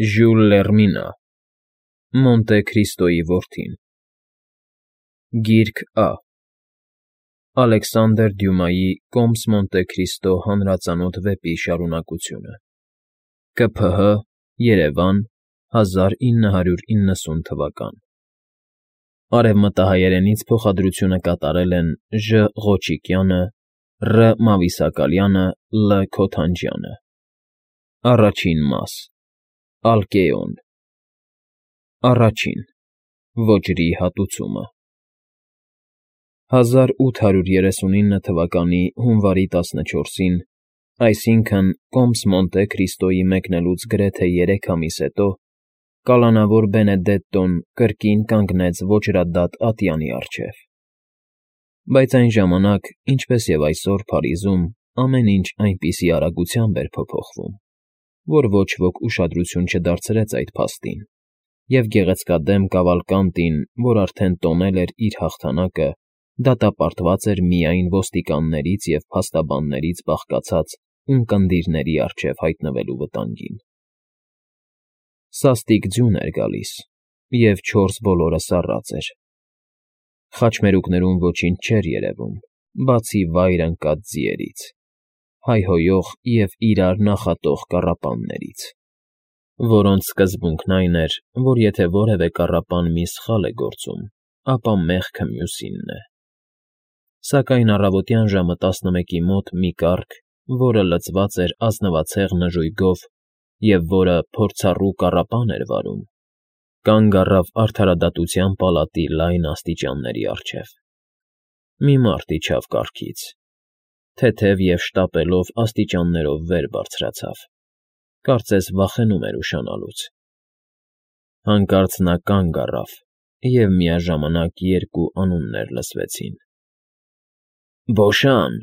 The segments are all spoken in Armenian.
Ժյուլ Լեռմինը, Մոնտե Քրիստոյի որդին։ Գիրք Ա. Ալեքսանդր Դյումայի «Կոմս Մոնտե Քրիստո» հանրածանոթ վեպի շարունակությունը։ ԿՓՀ, Երևան, 1990 թվական։ Արևմտահայերենից փոխադրությունը կատարել են Ժ. Ղոչիկյանը, Ռ. Մավիսակալյանը, Լ. Քոթանջյանը։ Առաջին մաս. Ալկեոն։ Առաջին. Ոճրի հատուցումը։ 1839 թվականի հունվարի 14-ին, այսինքն Կոմս Մոնտե Քրիստոյի մեկնելուց գրեթե 3 ամիս հետո, կալանավոր Բենեդետտոն կրկին կանգնեց ոճրադատ ատյանի առջև։ Բայց այն ժամանակ, ինչպես և այսօր Փարիզում, ամեն ինչ այնպիսի արագությամբ էր փոփոխվում, որ ոչ ոք ուշադրություն չդարձրեց այդ փաստին, և գեղեցկադեմ Կավալկանտին, որ արդեն տոնել էր իր հաղթանակը, դատապարտված էր միայն ոստիկաններից և փաստաբաններից բաղկացած ունկնդիրների առջև հայտնվելու վտանգին։ Սաստիկ ձյուն էր գալիս, և 4 բոլորը սառած էր։ Խաչմերուկներում ոչինչ չէր երևում, բացի վայր ընկած ձիերից, հայհոյող և իրար նախատող կառապաններից, որոնց սկզբունքն այն էր, որ եթե որևէ կառապան մի սխալ է գործում, ապա մեղքը մյուսինն է։ Սակայն առավոտյան ժամը 11-ի մոտ մի կառք, որը լցված էր ազնվացեղ նժույգով և որը փորձառու կառապան էր վարում, կանգ առավ արդարադատության պալատի լայն աստիճանների առջև։ Մի մարդ իջավ կառքից, թեթև և շտապելով աստիճաններով վեր բարձրացավ, կարծես վախենում էր ուշանալուց։ Հանկարծ նա կանգ առավ, և միաժամանակ 2 անուններ լսվեցին. «Բոշան»։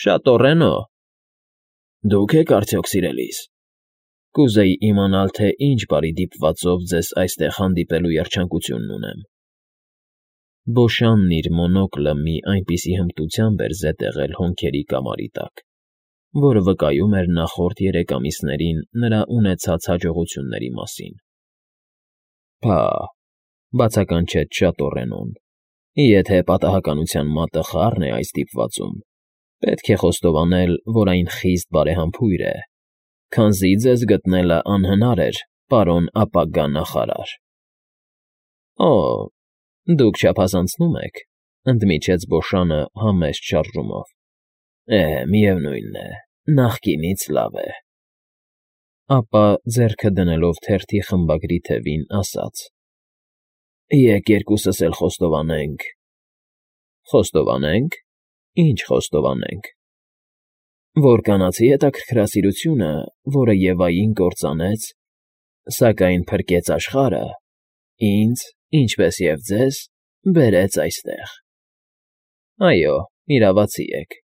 «Շատոռենո»։ «Դուք եք արդյոք, սիրելիս։ Կուզեի իմանալ, թե ինչ բարի դիպվածով ձեզ այստեղ հանդիպելու երջանկությունն ունեմ»։ Բոշանն իր մոնոկլը մի այնպիսի հմտությամբ էր զետեղել հոնքերի կամարի տակ, որ վկայում էր նախորդ 3 ամիսներին նրա ունեցած հաջողությունների մասին։ «Փա՜, ֊ բացականչեց Շատոռենոն, ֊ եթե պատահականության մատը խառն է այս դիպվածում, պետք է խոստովանել, որ այն խիստ բարեհամբույր է, քանզի ձեզ գտնելը անհնար էր, պարոն ապագա նախարար»։ «Օ, դուք չափազանցնում եք», ֊ ընդմիջեց Բոշանը համեստ շարժումով։ Միևնույն է, նախկինից լավ է։ Ապա, ձեռքը դնելով թերթի խմբագրի թևին, ասաց. «Եկ երկուսս էլ խոստովանենք»։ «Խոստովանենք։ Ինչ խոստովանենք»։ «Որ կանացի հետաքրքրասիրությունը, որը Եվային կործանեց, սակայն փրկեց աշխարհը, ինձ, ինչպես և ձեզ, բերեց այստեղ»։ «Այո, իրավացի եք։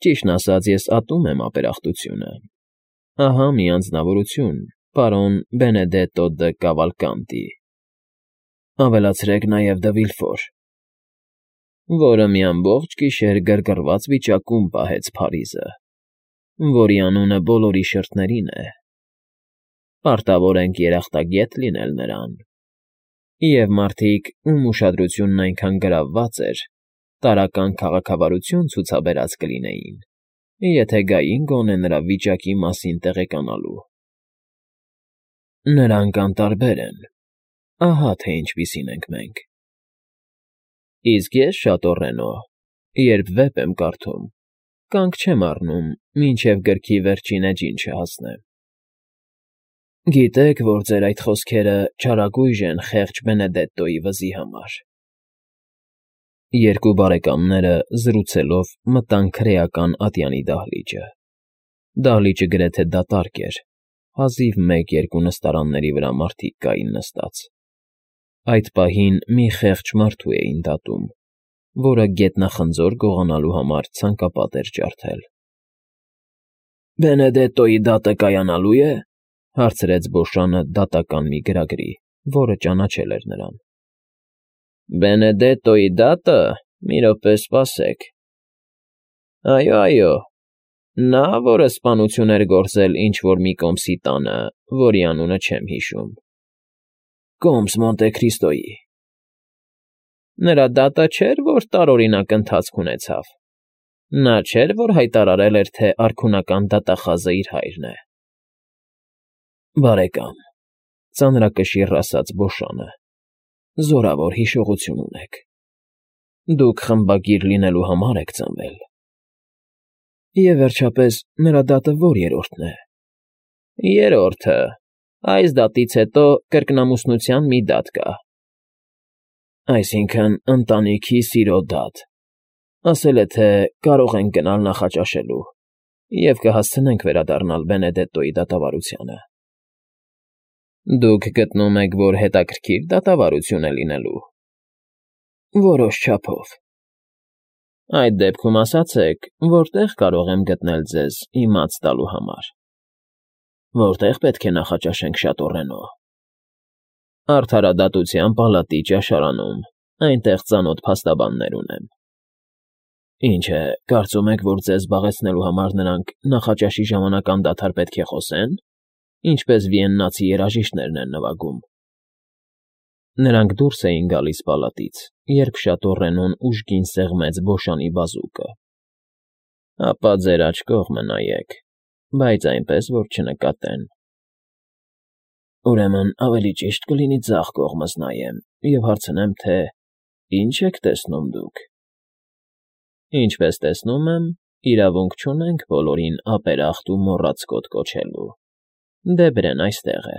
Ճիշտն ասած, ես ատում եմ ապերախտությունը։ Ահա մի անձնավորություն, պարոն Բենեդետտո դ Կավալկանտի, ավելացրեք նաև Դը Վիլֆոր, որը մի ամբողջ գիշեր գրգռված վիճակում պահեց Փարիզը, որի անունը բոլորի շրթերին է։ Պարտավոր ենք երախտագետ լինել նրան։ Եվ մարդիկ, ում ուշադրությունն այնքան գրավված էր, տարրական քաղաքավարություն ցուցաբերած կլինեին, եթե գային գոնե նրա վիճակի մասին տեղեկանալու։ Նրանք անտարբեր են։ Ահա թե ինչպիսին ենք մենք։ Իսկ ես, Շատոռենո, երբ վեպ եմ կարդում, կանգ չեմ առնում, մինչև գրքի վերջին էջին չհասնեմ։ Գիտեք, որ ձեր այդ խոսքերը չարագույժ են խեղճ Բենեդետտոյի վզի համար։ Երկու բարեկամները, զրուցելով, մտան քրեական ատյանի դահլիճը։ Դահլիճը գրեթե դատարկ էր, հազիվ 1-2 նստարանների վրա մարդիկ կային նստած։ Այդ պահին մի խեղճ մարդու էին դատում, որը գետնախնձոր գողանալու համար ցանկապատ էր ջարդել։ «Բենեդետտոյի դատը կայանալու է», ֊ հարցրեց Բոշանը դատական մի գրագրի, որը ճանաչել էր նրան։ «Բենեդետտոյի դատը… Մի րոպե, սպասեք… Այո, Նա, որը սպանություն էր գործել ինչ-որ մի կոմսի տանը, որի անունը չեմ հիշում։ Կոմս Մոնտե Քրիստոյի։ Նրա դատը չէր, որ տարօրինակ ընթացք ունեցավ։ Նա չէր, որ հայտարարել էր, թե արքունական դատախազը իր հայրն է։ Բարեկամ, ծանրակշիռ ասաց Բոշանը, զորավոր հիշողություն ունեք։ Դուք խմբագիր լինելու համար եք ծնվել։ Եվ վերջապես, նրա դատը ո՞ր երրորդն է։ Երրորդը։ Այս դատից հետո կրկնամուսնության մի դատ կա։ Այսինքն, ընտանիքի սիրո դատ։ Ասել է, թե կարող ենք գնալ նախաճաշելու և կհասցնենք վերադառնալ Բենեդետտոյի դատավարությանը։ Դուք գտնում եք, որ հետաքրքիր դատավարություն է լինելու։ Որոշ չափով։ Այդ դեպքում ասացեք, որտեղ կարող եմ գտնել ձեզ իմաց տալու համար։ Որտեղ պետք է նախաճաշենք Շատոռենո։ Արդարադատության պալատի ճաշարանում, այնտեղ ծանոթ փաստաբաններ ունեմ։ Ինչ է, կարծում եք, որ ձեզ զբաղեցնելու համար նրանք նախաճաշի ժամանակ անդադար պետք է խոսեն, ինչպես վիեննացի երաժիշտներն են նվագում։ Նրանք դուրս էին գալիս պալատից, երբ Շատոռենոն ուժգին սեղմեց Բոշանի բազուկը։ Ապա ձեր աջ կողմը նայեք, բայց այնպես, որ չնկատեն։ Ուրեմն ավելի ճիշտ կլինի ձախ կողմս նայեմ և հարցնեմ, թե ինչ եք տեսնում դուք։ Ինչպես տեսնում եմ, իրավունք չունենք բոլորին ապերախտ ու մոռացկոտ կոչելու։ Դեբրեն այստեղ է։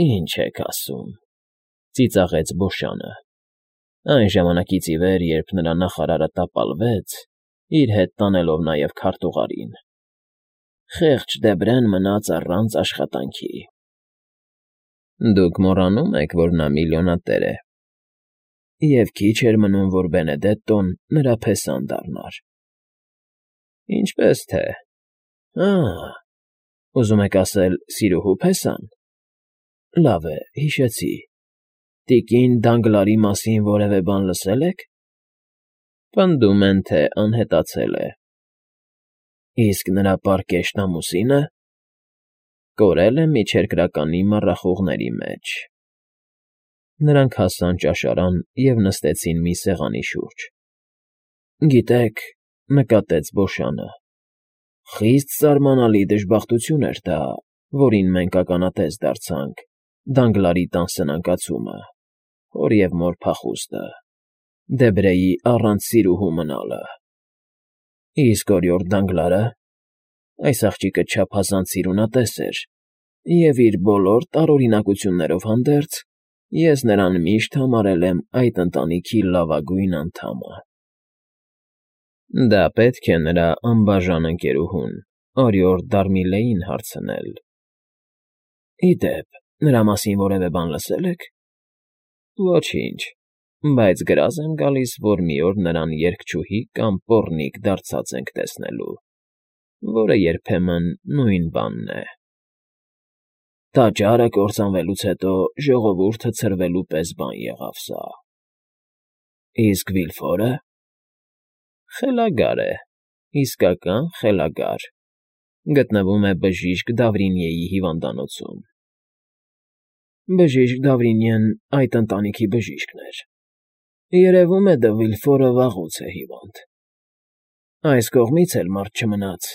Ինչ եք ասում, ծիծաղեց Բոշանը։ Այն ժամանակից ի վեր, երբ նրա նախարարը տապալվեց, իր հետ տանելով նաև քարտուղարին։ Խեղճ Դեբրեն մնաց առանց աշխատանքի։ Դուք մոռանում եք, որ նա միլիոնատեր է։ Եվ քիչ էր մնում, որ Բենեդետտոն նրա փեսան դառնար։ Ինչպես թե։ Ուզում եք ասել սիրուհու փեսան։ Լավ է, հիշեցի։ Տիկին Դանգլարի մասին որևէ բան լսել եք։ Պնդում են, թե անհետացել է։ Իսկ նրա պարկեշտ ամուսինը կորել է միջերկրականի մառախուղների մեջ։ Նրանք հասան ճաշարան և նստեցին մի սեղանի շուրջ։ Գիտեք, նկատեց Բոշանը, խիստ զարմանալի դժբախտություն էր դա, որին մենք ականատես դարձանք, Դանգլարի տան սնանկացումը, հոր և մոր փախուստը, Դեբրեի առանց սիրուհու մնալը։ Իսկ օրիորդ Դանգլարը, այս աղջիկը չափազանց սիրունատես էր, և իր բոլոր տարօրինակություններով հանդերձ, ես նրան միշտ համարել եմ այդ ընտանիքի լավագույն անդամը։ Դա պետք է նրա անբաժան ընկերուհուն, օրիորդ Դարմիլեին հարցնել։ Ի դեպ, նրա մասին որևէ բան լսել եք։ Ոչինչ, բայց գրազ եմ գալիս, որ մի օր նրան երգչուհի կամ պոռնիկ դարձած ենք տեսնելու, որը երբեմն նույն բանն է։ Տաճարը կործանվելուց հետո ժողովուրդը ցրվելու պես բան եղավ սա։ Իսկ Վիլֆորը։ Խելագար է, իսկական խելագար։ Գտնվում է բժիշկ Դավրինիեի հիվանդանոցում։ Բժիշկ Դավրինիեն այդ ընտանիքի բժիշկն էր։ Երևում է, Դը Վիլֆորը վաղուց է հիվանդ։ Այս կողմից էլ մարդ չմնաց։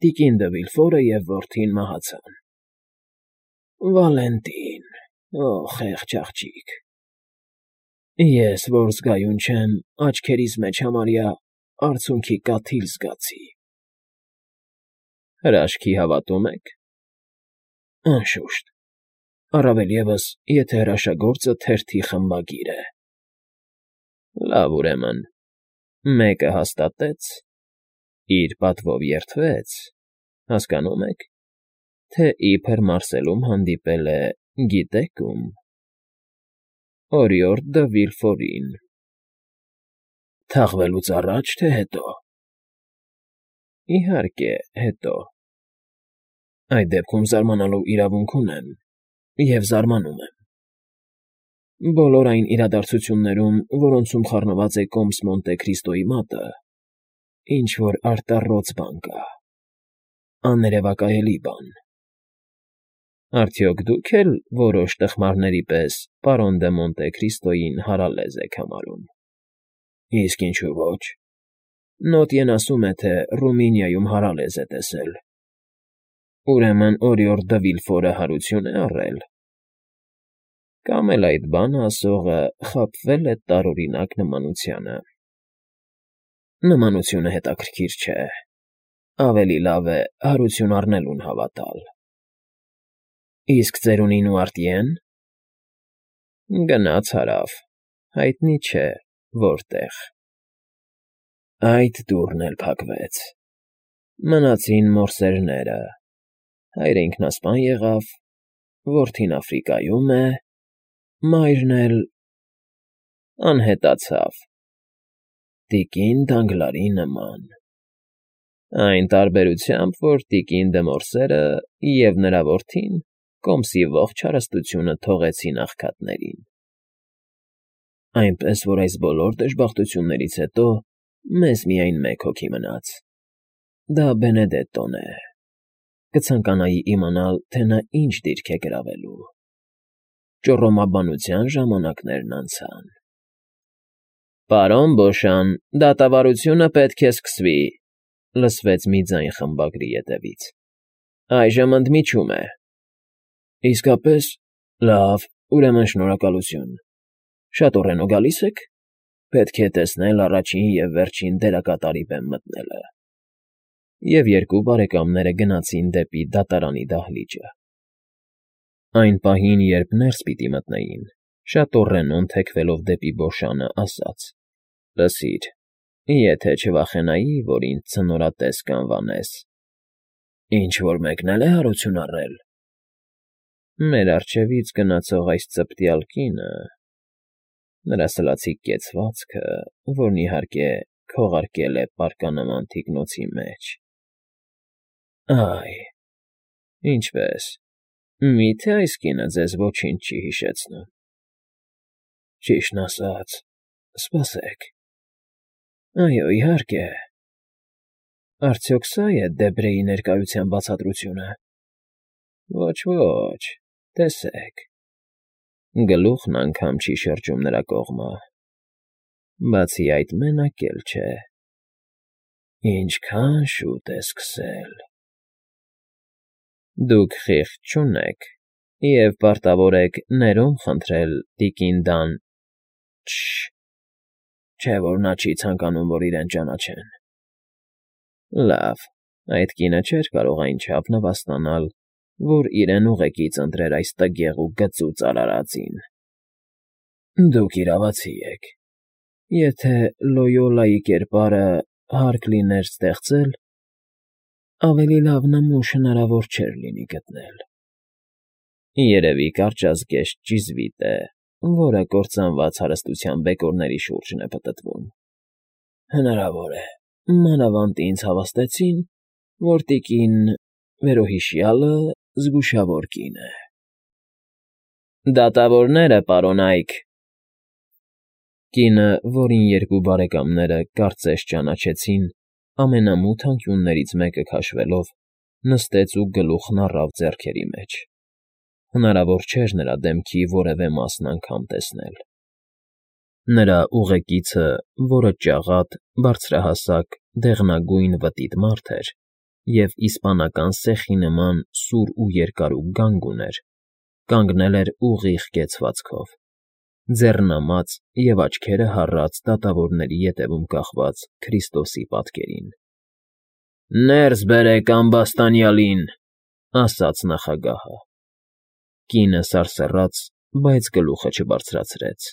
Տիկին Դը Վիլֆորը և որդին մահացան։ Վալենտին, խեղճ աղջիկ։ Ես, որ զգայուն չեմ, աչքերիս մեջ համարյա արցունքի կաթիլ զգացի։ Հրաշքի հավատում եք։ Անշուշտ, առավել ևս, եթե հրաշագործը թերթի խմբագիր է։ Լավ, ուրեմն, մեկը հաստատեց, իր պատվով երդվեց, հասկանում եք, թե իբր Մարսելում հանդիպել է, գիտեք ում։ Օրիորդ Դը Վիլֆորին։ Թաղվելուց առաջ, թե հետո։ Իհարկե, հետո։ Այդ դեպքում զարմանալու իրավունք ունեմ, և զարմանում եմ։ Բոլոր այն իրադարձություններում, որոնցում խառնված է կոմս Մոնտե Քրիստոյի մատը, ինչ-որ արտառոց բան կա, աներևակայելի բան։ Արդյոք դուք էլ որոշ տխմարների պես պարոն դե Մոնտե Քրիստոյին հարալեզ եք համարում։ Իսկ ինչու ոչ։ Նոտյեն ասում է, թե Ռումինիայում հարալեզ է տեսել։ Ուրեմն Օրիոր դը Վիլֆորը հարություն է առել։ Կամ էլ այդ բանը ասողը խաբվել է տարօրինակ նմանությանը։ Նմանությունը հետաքրքիր չէ։ Ավելի լավ է հարություն առնելուն հավատալ։ Իսկ ծերունին ու արտիեն։ Գնաց հարավ, հայտնի չէ որտեղ։ Այդ դուռն էլ փակվեց։ Մնացին մորսերները։ Հայրը ինքնասպան եղավ, որդին Աֆրիկայում է, մայրն էլ անհետացավ։ Տիկին Դանգլարի նման։ Այն տարբերությամբ, որ տիկին դե Մորսերը և նրա որդին կոմսի ողջ հարստությունը թողեցին աղքատներին։ Այնպես որ այս բոլոր դժբախտություններից հետո մեզ միայն մեկ հոգի մնաց։ Դա Բենեդետտոն է։ Կցանկանայի իմանալ, թե նա ինչ դիրք է գրավելու։ Ճոռոմաբանության ժամանակներն անցան։ Պարոն Բոշան, դատավարությունը պետք է սկսվի, լսվեց մի ձայն խմբագրի ետևից։ Այժմ ընդմիջում է։ Իսկապես, լավ, ուրեմն շնորհակալություն։ Շատորենո գալիս եք։ Պետք է տեսնել առաջին և վերջին դերակատարի բեմ մտնելը։ Եվ երկու բարեկամները գնացին դեպի դատարանի դահլիճը։ Այն պահին, երբ ներս պիտի մտնեին, Շատորենոն թեքվելով դեպի Բոշանը ասաց. Լսիր, եթե չվախենայի, որ ինձ ցնորատես կանվանես։ Ինչ-որ մեկն է հարություն առել։ Մեր առջևից գնացող այս ծպտյալ կինը, նրա սլացիկ կեցվածքը, որն իհարկե քողարկել է պարկանման թիկնոցի մեջ։ Այ, ինչպես, մի՞թե այս կինը ձեզ ոչինչ չի հիշեցնում։ Ճիշտն ասած, սպասեք։ Այո, իհարկե։ Արդյոք սա՞ է Դեբրեի ներկայության բացատրությունը։ Ոչ, տեսեք։ Գլուխն անգամ չի շրջում նրա կողմը։ Բացի այդ, մենակ էլ չէ։ Ինչքան շուտ է սկսել։ Դուք խիղճ չունեք և պարտավոր եք ներում խնդրել տիկին Չէ՞ որ նա չի ցանկանում, որ իրեն ճանաչեն։ Լավ, այդ կինը չէր կարող այնչափ նվաստանալ, որ իրեն ուղեկից ընտրեր այս տգեղ ու գծուծ արարածին։ Դուք իրավացի եք։ Եթե Լոյոլայի կերպարը հարկ լիներ ստեղծել, ավելի լավ նմուշ հնարավոր չէր լինի գտնել։ Երևի կարճազգեստ ճիզվիտ է, որը կործանված հարստության բեկորների շուրջն է պտտվում։ Հնարավոր է, մանավանդ ինձ հավաստեցին, որ տիկին վերոհիշյալը զգուշավոր կին է։ Դատավորները, պարոն Այք։ Կինը, որին երկու բարեկամները կարծես ճանաչեցին, ամենամութ անկյուններից մեկը քաշվելով, նստեց ու գլուխն առավ ձեռքերի մեջ։ Հնարավոր չէր նրա դեմքի որևէ մասն անգամ տեսնել։ Նրա ուղեկիցը, որը ճաղատ, բարձրահասակ, դեղնագույն վտիտ մարդ էր և իսպանական սեխի նման սուր ու երկարուկ գանգ ուներ, կանգնել էր ուղիղ կեցվածքով, ձեռնամած և աչքերը հառած դատավորների ետևում կախված Քրիստոսի պատկերին։ Ներս բերեք ամբաստանյալին, ասաց նախագահը։ Կինը սարսռաց, բայց գլուխը չբարձրացրեց։